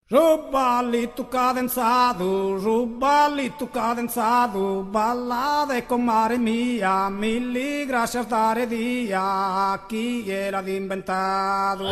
Su ballitu cadenzadu, su ballitu cadenzadu, ballade comare mia, milli grascias dare dia, chie l'at imbentadu.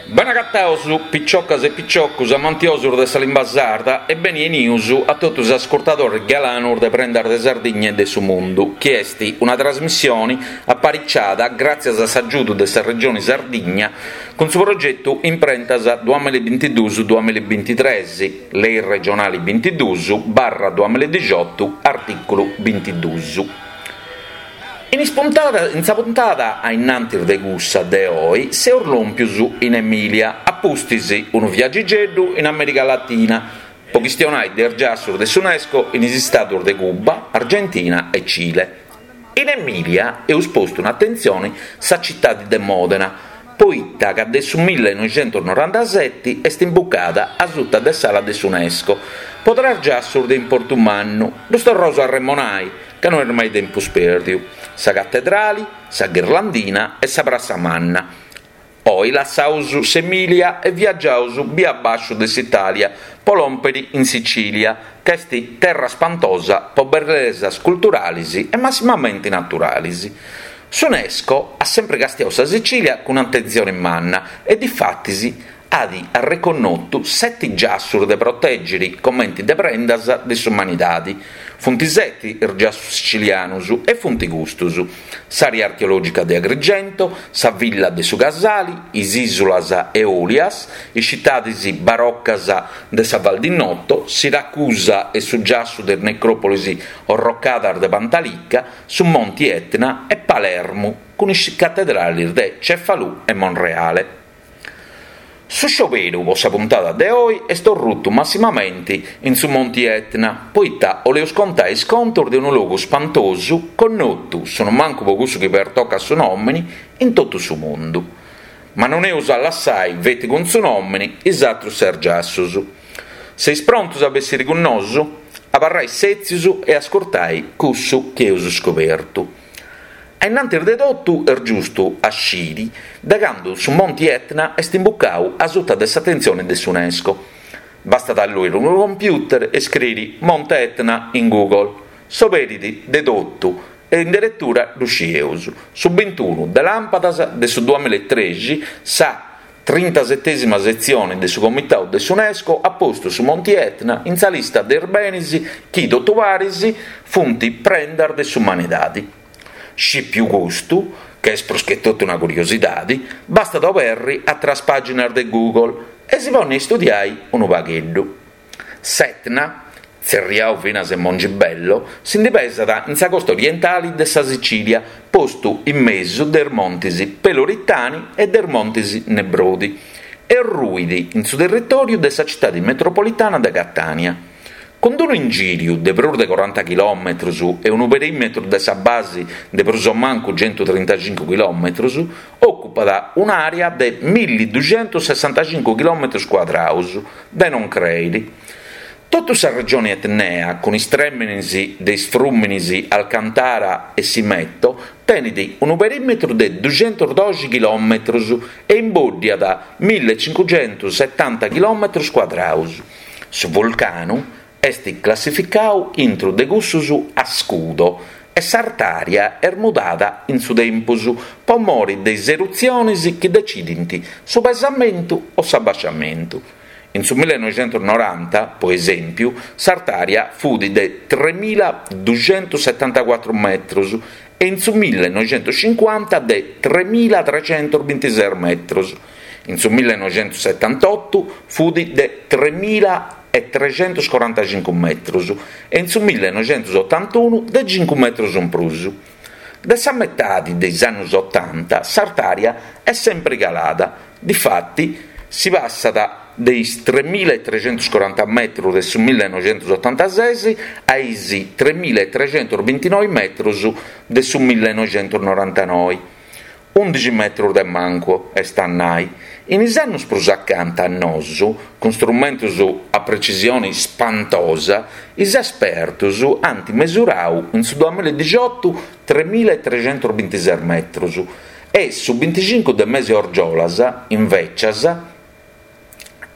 Benagataus piciocas e piciocus amantiosus de sa limba sarda e beni 'enius a totu is ascurtadoris galanus de Prendas de Sardigna e de su Mundu, chi est una trasmissioni apariciada gràtzias a s'agiudu de sa Regioni Sardigna Cun su progetu Imprentas duamillabintiduus duamillabintitres, Lei regionali bintiduus barra duamilladixotu, artìculu bintiduus. In is puntadas in sa puntada a innantis de cussa de oi seus lòmpius in Emìlia, a pustis unu viagigeddu in Amèrica Latina, po chistionai de is giassus de s'Unesco in is istadus de Cuba, Argentina e Cile. In Emìlia eus postu in atentzioni sa citadi de Mòdena, poita ca de su millenoixentusnorantaseti est imbucada asuta de s'ala de s'Unesco po tres giassus de importu mannu, ddus torraus a arremonai, ca no est mai tempus pèrdiu, sa Catedrali, sa Ghirlandina e sa Prassa Manna. Oi lassaus s'Emìlia e viagiaus bia bàsciu de s'Itàlia po lòmpiri in Sicìlia, ca est terra spantosa po bellesas culturalis e massimamenti naturalis. S'Unesco at sempri castiau sa Sicìlia cun atentzioni manna e difatis at arreconnotu seti giassus de protègiri comenti de prendas de s'umanidadi. Funt seti is giassus sicilianus e funt custus, s'àrea archeològica de Agrigento, sa villa de su Casali, is ìsulas Eòlias, is citadis barocas de sa Val di Noto, Siracusa e su giassu de is necròpolis orrocadas de Pantalica, su Monti Etna e Palermu cun is catedralis de Cefalù e Monreale. Su scioberu po sa puntada de oi est orrutu massimamenti in su Monti Etna, poita 'oleus contai is contus de unu logu spantosu connotu, sonumancu po cussu chi pertocat su nòmini, in totu su mundu. Ma non eus a lassai feti cun su nòmini is atrus ses giassus. Seis prontus a bessiri cun nosu? Abarrai sètzius e ascurtai cussu chi eus scobertu. A innantis de totu est giustu a sciri de candu su Monti Etna est imbucau asuta de s'atentzioni de s'Unesco. Bastat a alluiri unu computer e scriri Monte Etna in Google. S'oberit de totu e in deretura ddu scieus, su bintunu de làmpadas de su duamillaetrexi sa Trintasetesima setzioni de su Comitau de s'Unesco at postu su Monti Etna in sa lista de is benis chi, totu paris, funt prendas de s'umanidadi. Scìpiu custu, ca est prus che totu una curiosidadi, bastat a oberri atras pàginas de Google e si ponni a istudiai unu pagheddu. S'Etna, tzerriau finas e Mongibello, si ndi pesat in sa costa orientali de sa Sicilia, postu in mesu de is montis Peloritani e de is montis Nebrodi, e ruit in su territòriu de sa citadi metropolitana de Catània. Cun unu ingìriu de prus de coranta chilòmetrus e unu perìmetru de sa basi de prus o mancu centutrintacincu chilòmetrus, òcupat un'àrea de milliduxentussessantacincu chilòmetrus cuadraus, de non crèiri. Totu sa regioni etnea, cun is trèminis de is frùminis Alcantara e Simeto, tenit unu perìmetru de duxentusdoxi chilòmetrus e imbòddiat millicincuxentussetanta chilòmetrus cuadraus. Su vulcanu est classificau intru de cussus a scudo e s'artària est mudada in su tempus po mori de is erutzionis chi decidint su pesamentu o s'abasciamentu. In su millenoixentusnoranta, po esèmpiu, s'artària fut de tremiladuxentussetantacuatru metrus e in su millenoixentuscincuanta de tremilatrecentusbintises metrus. In su millenoixentussetantotu fut de tremilaetrecentuscorantacincu metrus e in su millenoixentusotantunu de cincu metrus in prus. De sa metadi de is annus otanta s'artària est sempri calada, difati si passat de is tremilaetrecentuscoranta metrus de su millenoixentusotantases a is tremilaetrecentusbintinoi metrus de su millenoixentusnorantanoi. Undixi metrus de mancu, est a nai. In is annus prus acanta a nosu, cun strumentus a precisioni spantosa, is espertus ant mesurau in su duamiladixotu tremilaetrecentusbintises metrus e su binticincu de mesi 'e orgiolas, invècias.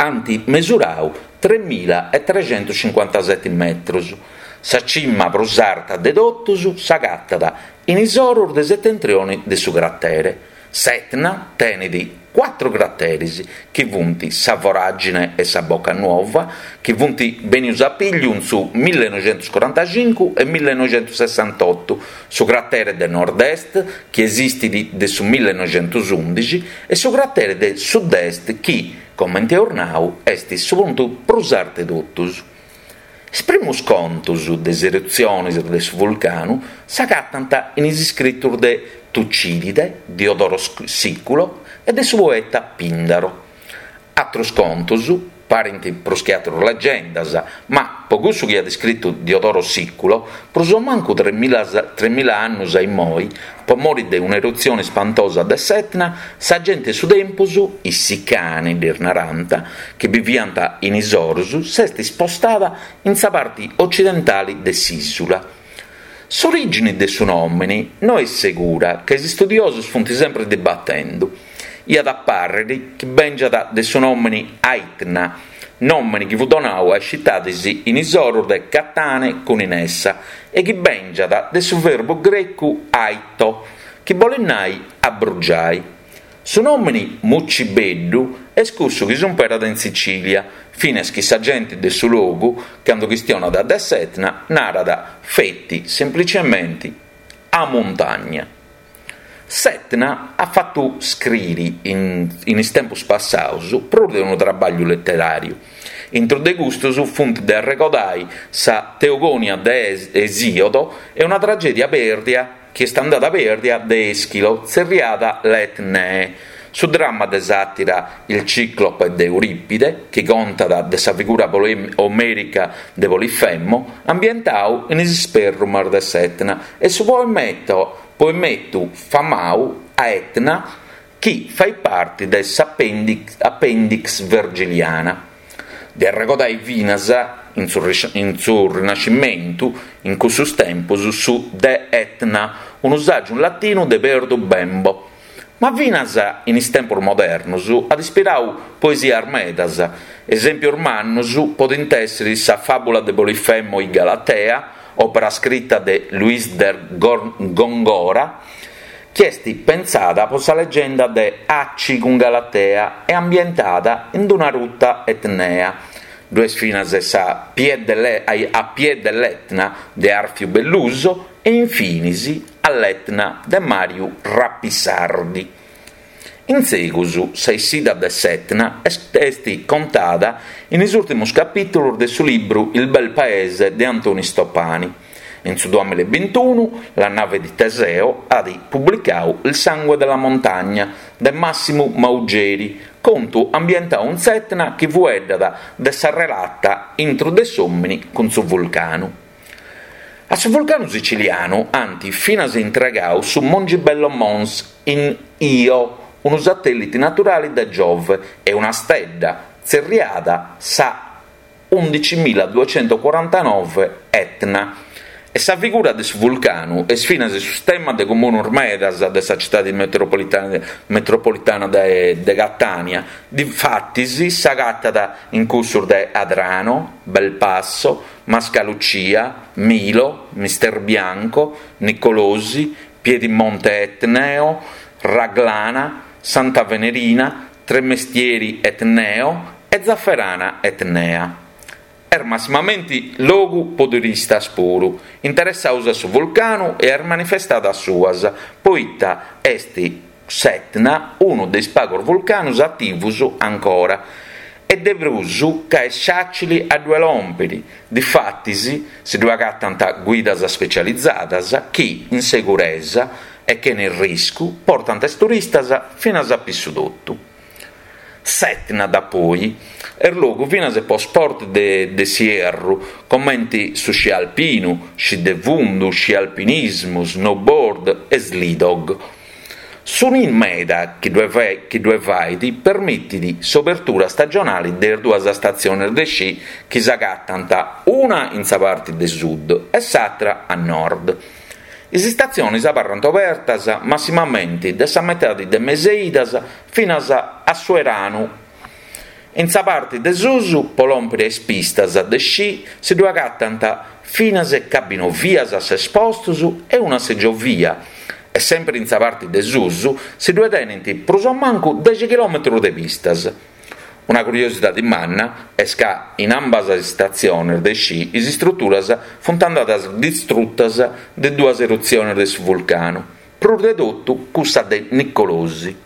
Ant mesurau tremila e trexentuscincuantaseti metrus. Sa cima prus arta de totus s'agatat in is orus de setentrioni de su cratere. S'Etna tenet cuatru crateris, chi funt sa Voragine e sa Bocca Nuova, chi funt benius a pigliu in su millenoixentuscorantacincu e millenoixentussessantotu, su cratere de nord-est, chi esistit de su millenoixentusundixi, e su cratere de sud-est chi, comente eus nau, est su puntu prus artu 'e totus. Is primus contos de is erutziones de su vulcanu s'agatant in is iscritos de Tucidide, Diodoro Siculo e de su poeta Pindaro. Àteros contos parint prus che àteru legendas, ma, po cussu chi at iscritu Diodoro Siculo, prus o mancu tremila annus a immoi, Po mori de un'erutzione ispantosa de s'Etna, sa gente 'e su tempus, is Sicani ddis narant, chi biviant in is orus, s'est ispostada in sa parti ocidentali de s'ìsula. S'orìgini de su nòmini no est segura, ca is istudiosos funt sempri dibatendu. Iat a pàrriri chi bèngiat de su nòmini Aitna, nòmini chi fut donau a is citadis in is orus de Catane cun Inessa e chi bèngiat de su verbu grecu aito, chi bolit nai abrugiai. Su nòmini Mucibeddu est cussu chi s'umperat in Sicilia, finas chi sa genti de su logu, candu chistionat de s'Etna, narat feti, semplicementi, a muntagna. S'Etna at fatu scriri in is tempus passaus prus de unu trabagliu leteràriu. Intru de custus funt de arregodai sa Teogonia de Esiodo e una tragèdia pèrdia chi est andada pèrdia de Eschilo tzerriada Le Etnee, su dramma de sàtira Il Ciclope de Euripide chi contat de sa figura omèrica de Polifemo ambientau in is sperrumas de s'Etna e su poemeto Poemetu famau A Etna chi fait parti de s'Appendix Vergiliana. De arregodai finas, in su Rinascimentu, in cussus tempus, su De Aetna, unu sàgiu in latinu de Perdu Bembo. Ma finas in is tempus modernos at ispirau poesias medas, esèmpios mannus podint èssiri sa Fàbula de Polifemo e Galatea, òpera scrita de Luis de Góngora, chi est pentzada po sa legenda de Aci cun Galatea e ambientada in una ruta etnea. Ddu est finas sa A piè dell'Etna de Arfiu Belluso e infinis All'Etna de Mariu Rapisardi. In segus, sa essida de s'Etna est contada in is ùrtimos capìtulos de su libru Il bel paese de Antoni Stoppani. In su duamilla e bintunu, La nave di Teseo at publicadu Il sangue della montagna de Massimu Maugeri, contu ambientadu in s'Etna chi fueddat de sa relata intru de s'òmini cun su vulcanu. A su vulcanu sicilianu ant finas intregadu su Mongibello Mons in Io, unu satèllite naturale de Giove e una stedda tzerriada sa undicimiladuecentocuarantanove Etna. E sa figura de su vulcanu est finas su stemma de comunos medas de sa citade metropolitana de Catània, difatis s'agatat in cussos de Adrano, Belpasso, Mascalucia, Milo, Misterbianco, Nicolosi, Piedimonte Etneo, Raglana, Santa Venerina, Tremestieri Etneo e Zafferana Etnea. Est massimamenti logu po turistas puru, interessaus a su vulcanu e a is manifestadas suas, poita est s'Etna unu de is pagus vulcanus ativus ancora e de prus ca est fàcili a ddue lòmpiri, difatis si ddue agatant guidas specializadas chi, in seguresa e chene riscu, portant is turistas finas a pissu totu. S'Etna dapoi est logu finas po sport de s'ierru, comenti su sci alpinu, sci de fundu, sci alpinismu, snowboard e slidog. Su nì meda chi ddue fait permitit s'obertura stagionali de is duas statziones de sci chi s'agatant una in sa parti de sud e s'atra a nord. Is istatziones abarrant obertas massimamenti de sa metadi de mes'e idas finas a su 'eranu. In sa parti de susu, po lòmpiri a is pistas de sci, si ddue agatant finas cabinovias a ses postus e una seggiovia, e sèmpiri in sa parti de susu si ddue tenint prus o mancu dexi chilòmetrus de pistas. Una curiosidadi manna est ca in ambas is statziones de sci is istruturas funt andadas distrutas de duas erutziones de su vulcanu, prus de totu cussa de Nicolosi.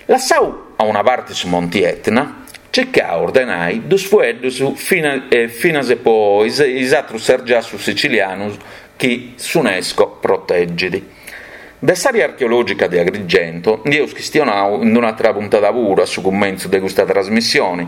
Lassau a una parti su Monti Etna, circaus de nai dus fueddus finas po is atrus ses giassus sicilianus chi s'Unesco protegit. De s'àrea archeològica de Agrigento ndi eus chistionau in un'àtera puntada puru a su cumentzu de custa trasmissioni.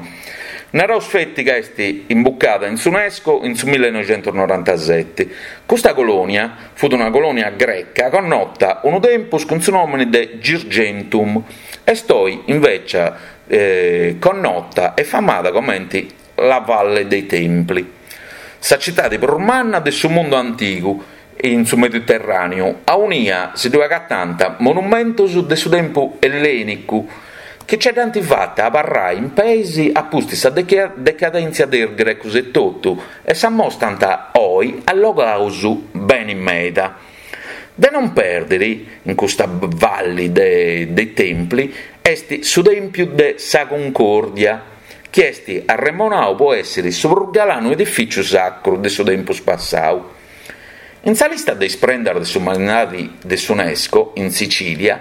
Naraus feti ca est imbucada in s'Unesco in su millenoixentusnorantaseti. Custa colònia fut una colònia greca connota unu tempus cun su nòmini de Girgentum, est oi invècia connota e famada comenti La Valle dei Templi, sa citadi prus manna de su mundu antigu in su Mediterràneu, aunia si ddue agatant monumentus de su tempus ellènicu chi ce dd'ant fata abarrai in peis a pustis sa decadèntzia de is grecus etotu e s'ammostant oi allogaus beni meda. De non pèrdiri in custa Valli dei Templi est su Tèmpiu de sa Cuncòrdia, chi est arremonau po èssiri su prus galanu edifìciu sacru de su tempus passau. In sa lista de is prendas de s'umanidadi de s'Unesco in Sicìlia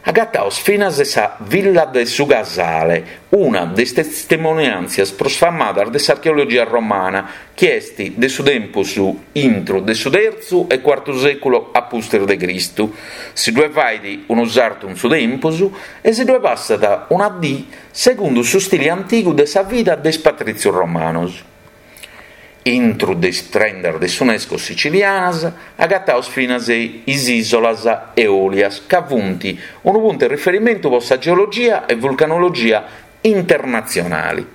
Agataus finas sa Villa de su Casale, una de is testimoniàntzias prus famadas de s'archeologia romana, chi est de su tempus intru de su tertzu e cuartu sèculu a pustis de Cristu. Si ddue fait unu sartu in su tempus e si ddue passat una dì segundu su stili antigu de sa vida de is patrìtzius romanos. Intru de is prendas de s'Unesco sicilianas agataus finas is ìsolas Eòlias ca funt unu puntu 'e riferimentu po sa geologia e vulcanologia internatzionali.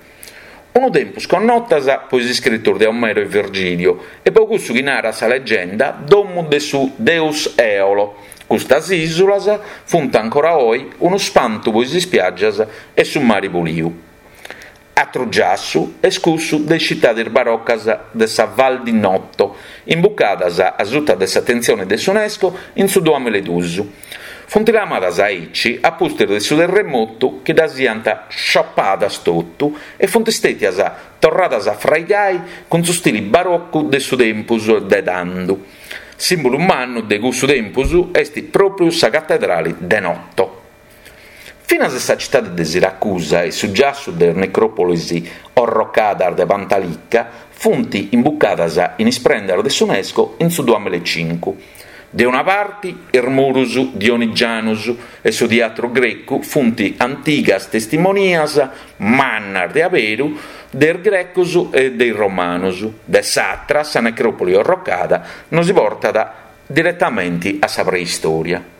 Unu tempus connotas po is iscritus de Omero e Virgilio e po cussu chi narat sa legenda domu de su deus Eolo, custas ìsulas funt ancora oi unu spantu po is ispiàgias e su mari puliu. Atru giassu est cussu de is citadis barocas de sa Val di Noto, imbucadas a suta de s'atentzioni de s'Unesco in su duamiladus. Funt lamadas aici a pustis de su terremotu chi ddas iant sciopadas totu e funt stètias torradas a fraigai cun su stili barocu de su tempus de tandu. Sìmbulu mannu de cussu tempus est pròpriu sa catedrali de Noto. Finas sa citade de Siracusa e su giassu de is necròpolis orrocadas de Pantalica funt imbucadas in is prendas de s'Unesco in su duamilaecincu. De una parti is murus dionigianus e su tiatru grecu funt antigas testimonias mannas de aberu de is grecos e de is romanus, de s'atra sa necròpoli orrocada nosi portat diretamenti a sa preistòria.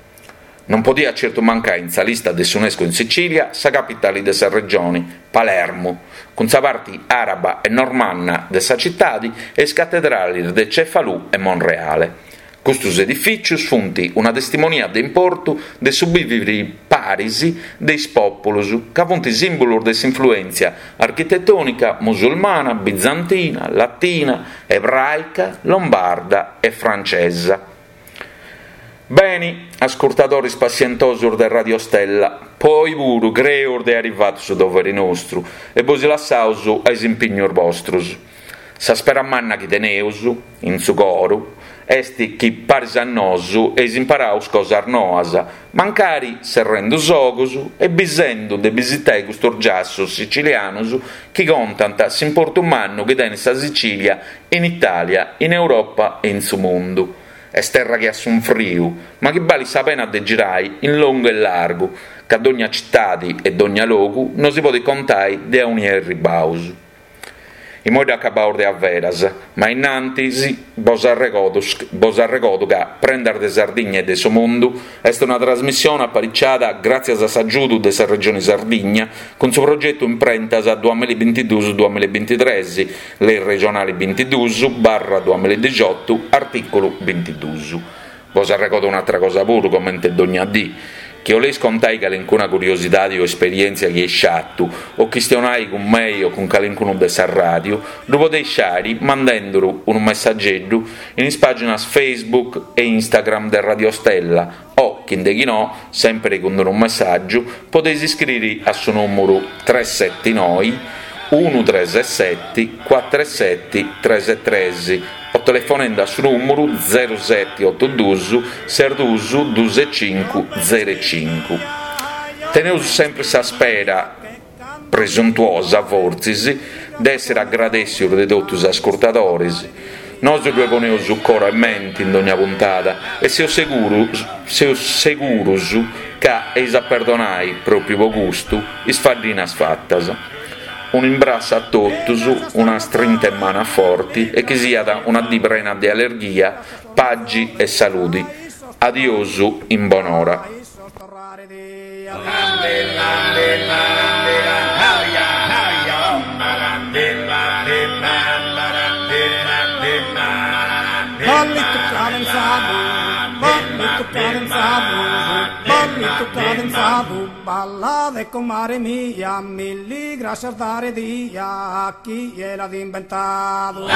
Non podiat certu mancai in sa lista de s'Unesco in Sicilia sa capitali de sa regioni, Palermu, cun sa parti araba e normanna de sa citadi e is catedralis de Cefalù e Monreale. Custus edifìcius funt una testimonia de importu de su bìviri paris de is pòpulus, ca funt sìmbulus de s'influèntzia architetònica musulmana, bizantina, latina, ebràica, lombarda e francesa. Beni, ascurtadoris passientosus de Radio Stella, po oi puru creus de airi fatu su doveri nostru e bosi lassaus a is impignus bostrus. Sa spera manna chi teneus, in su coru, est chi paris a nosu eis imparaus cosas noas, mancari serrendu is ogus e bisendu de bisitai custus giassus sicilianus chi contant s'importu mannu chi tenit sa Sicilia in Italia, in Europa e in su mundu. Est terra chi at sunfriu, ma chi balit sa pena de girai in longu e largu, ca dogna citadi e dogna logu nosi podit contai de aunia erribaus. Imoi dd'acabaus de averas, ma innantis bos arregodu bos arregodu ca Prendas de Sardigna e de su Mundu est una trasmissione apariciada gràtzias a s'agiudu de sa Regioni Sardigna cun su progetu Imprentas duamillabintiduus duamillabintitres, Lei regionali bintiduus barra duamilladixiotu, artìculu bintiduus. Bos arregodo un'atra cosa puru, comente dogna dì. Chi 'oleis contai calincuna curiosidadi o esperièntzia chi eis fatu, o chistionai cun mei o cun calincunu de sa ràdiu, ddu podeis fari mandenduru unu messageddu in is pàginas Facebook e Instagram de Radio Stella o, chi nde chi no, sèmpiri cun unu messàgiu, podeis iscriri a su nùmuru tres seti noi unu tres seti cuatru seti tres tres o telefonendu a su nùmuru zeru seti otu dus ses dus dus e cincu zeru e cincu. Teneus sempri sa spera, presuntuosa fortzis, de èssiri agradèssius de totu is ascurtadoris. Nosu ddue poneus coro e menti in dogna puntada e seus segurus seus segurus ca eis a perdonai, pròpriu po custu, is faddinas fatas. Un'imbrassu a totus, una strinta 'e manu a forti e chi siat una dì prena de allerghia, pagi e saludi. Adiosu in bonora. Ballade comare mia, milli grascias dare dia a chie l'at imbentadu.